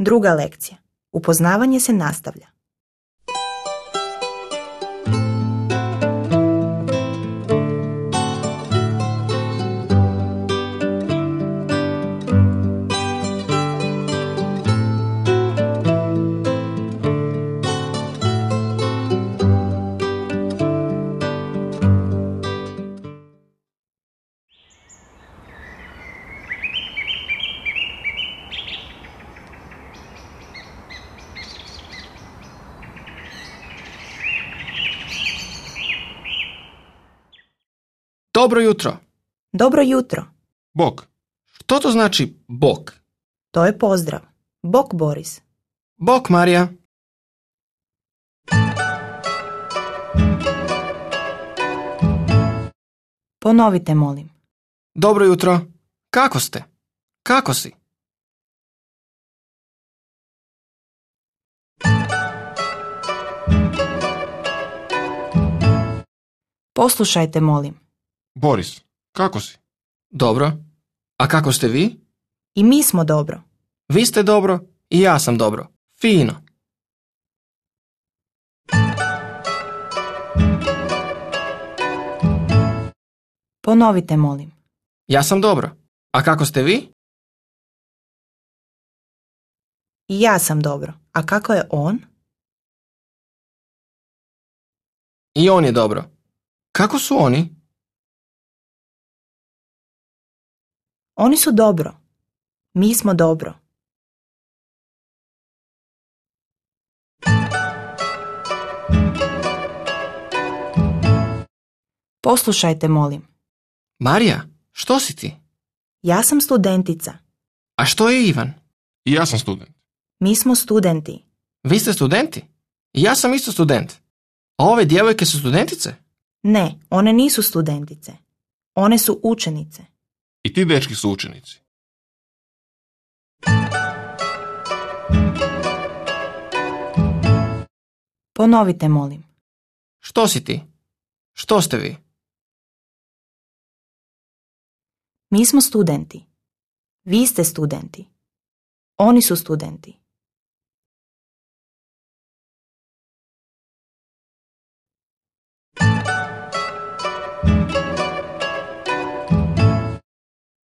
Druga lekcija. Upoznavanje se nastavlja. Dobro jutro. Dobro jutro. Bok. Što to znači bok? To je pozdrav. Bok, Boris. Bok, Marija. Ponovite, molim. Dobro jutro. Kako ste? Kako si? Poslušajte, molim. Boris, kako si? Dobro. A kako ste vi? I mi smo dobro. Vi ste dobro i ja sam dobro. Fino. Ponovite, molim. Ja sam dobro. A kako ste vi? I ja sam dobro. A kako je on? I on je dobro. Kako su oni? Oni su dobro. Mi smo dobro. Poslušajte, molim. Marija, što si ti? Ja sam studentica. A što je Ivan? I ja sam student. Mi smo studenti. Vi ste studenti? I ja sam isto student. A ove djevojke su studentice? Ne, one nisu studentice. One su učenice. I ti dečki su učenici. Ponovite, molim. Što si ti? Što ste vi? Mi smo studenti. Vi ste studenti. Oni su studenti.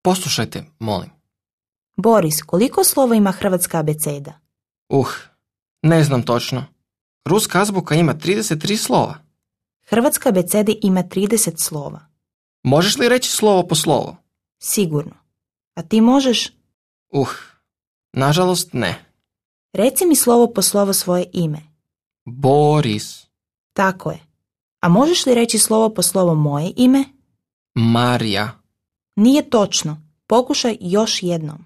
Poslušajte, molim. Boris, koliko slova ima hrvatska abeceda? Ne znam točno. Ruska azbuka ima 33 slova. Hrvatska abeceda ima 30 slova. Možeš li reći slovo po slovo? Sigurno. A ti možeš? Nažalost ne. Reci mi slovo po slovo svoje ime. Boris. Tako je. A možeš li reći slovo po slovo moje ime? Marija. Nije točno. Pokušaj još jednom.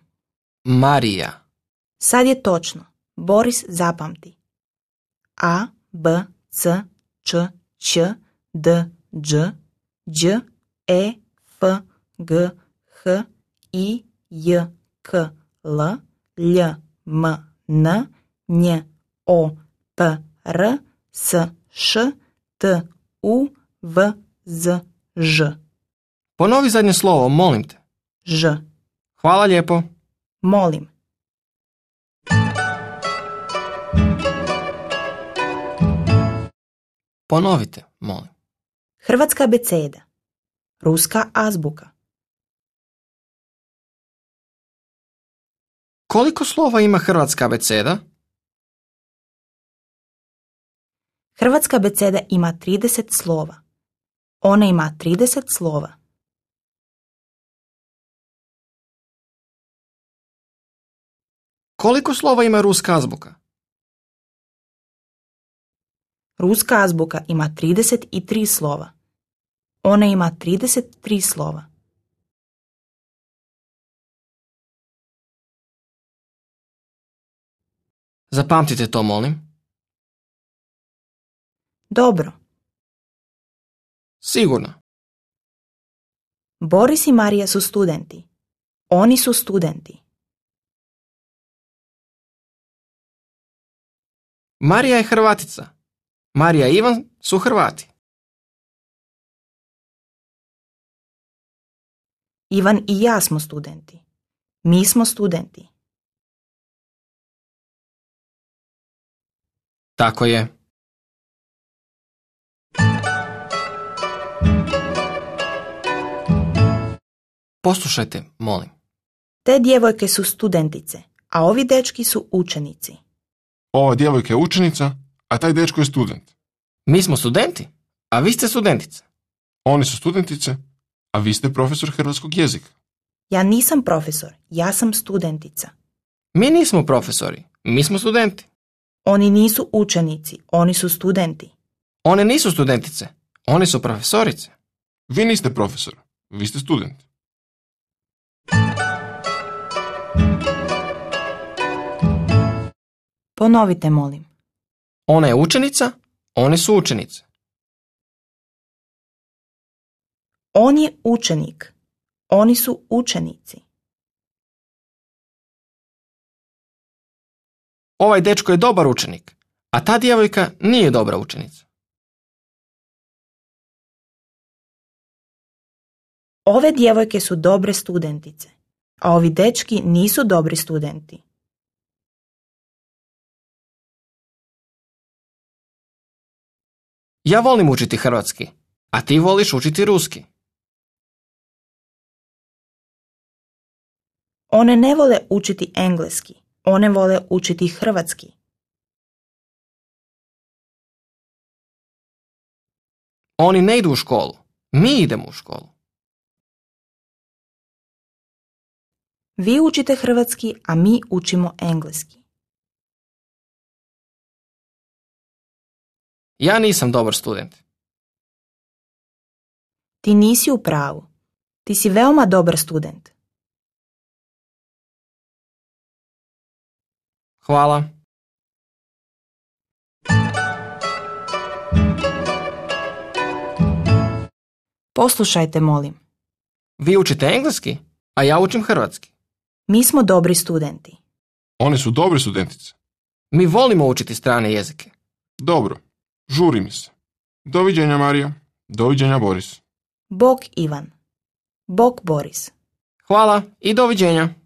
Marija. Sad je točno. Boris, zapamti. A, B, C, Č, Ć, D, Đ, Đ, E, F, G, H, I, J, K, L, Lj, M, N, Nj, O, P, R, S, Š, T, U, V, Z, Ž. Ponovi zadnje slovo, molim te. Ž. Hvala lijepo. Molim. Ponovite, molim. Hrvatska abeceda. Ruska azbuka. Koliko slova ima hrvatska abeceda? Hrvatska abeceda ima 30 slova. Ona ima 30 slova. Koliko slova ima ruska azbuka? Ruska azbuka ima 33 slova. Ona ima 33 slova. Zapamtite to, molim. Dobro. Sigurno. Boris i Marija su studenti. Oni su studenti. Marija je Hrvatica. Marija i Ivan su Hrvati. Ivan i ja smo studenti. Mi smo studenti. Tako je. Poslušajte, molim. Te djevojke su studentice, a ovi dečki su učenici. Ova djevojka je učenica, a taj dečko je student. Mi smo studenti, a vi ste studentice. Oni su studentice, a vi ste profesor hrvatskog jezika. Ja nisam profesor, ja sam studentica. Mi nismo profesori, mi smo studenti. Oni nisu učenici, oni su studenti. One nisu studentice, one su profesorice. Vi niste profesor, vi ste student. Ponovite, molim. Ona je učenica, one su učenice. On je učenik, oni su učenici. Ovaj dečko je dobar učenik, a ta djevojka nije dobra učenica. Ove djevojke su dobre studentice, a ovi dečki nisu dobri studenti. Ja volim učiti hrvatski, a ti voliš učiti ruski. One ne vole učiti engleski, one vole učiti hrvatski. Oni ne idu u školu, mi idemo u školu. Vi učite hrvatski, a mi učimo engleski. Ja nisam dobar student. Ti nisi u pravu. Ti si veoma dobar student. Hvala. Poslušajte, molim. Vi učite engleski, a ja učim hrvatski. Mi smo dobri studenti. Oni su dobre studentice. Mi volimo učiti strane jezike. Dobro, žuri mi se. Doviđenja, Marija. Doviđenja, Boris. Bog Ivan. Bog Boris. Hvala i doviđenja.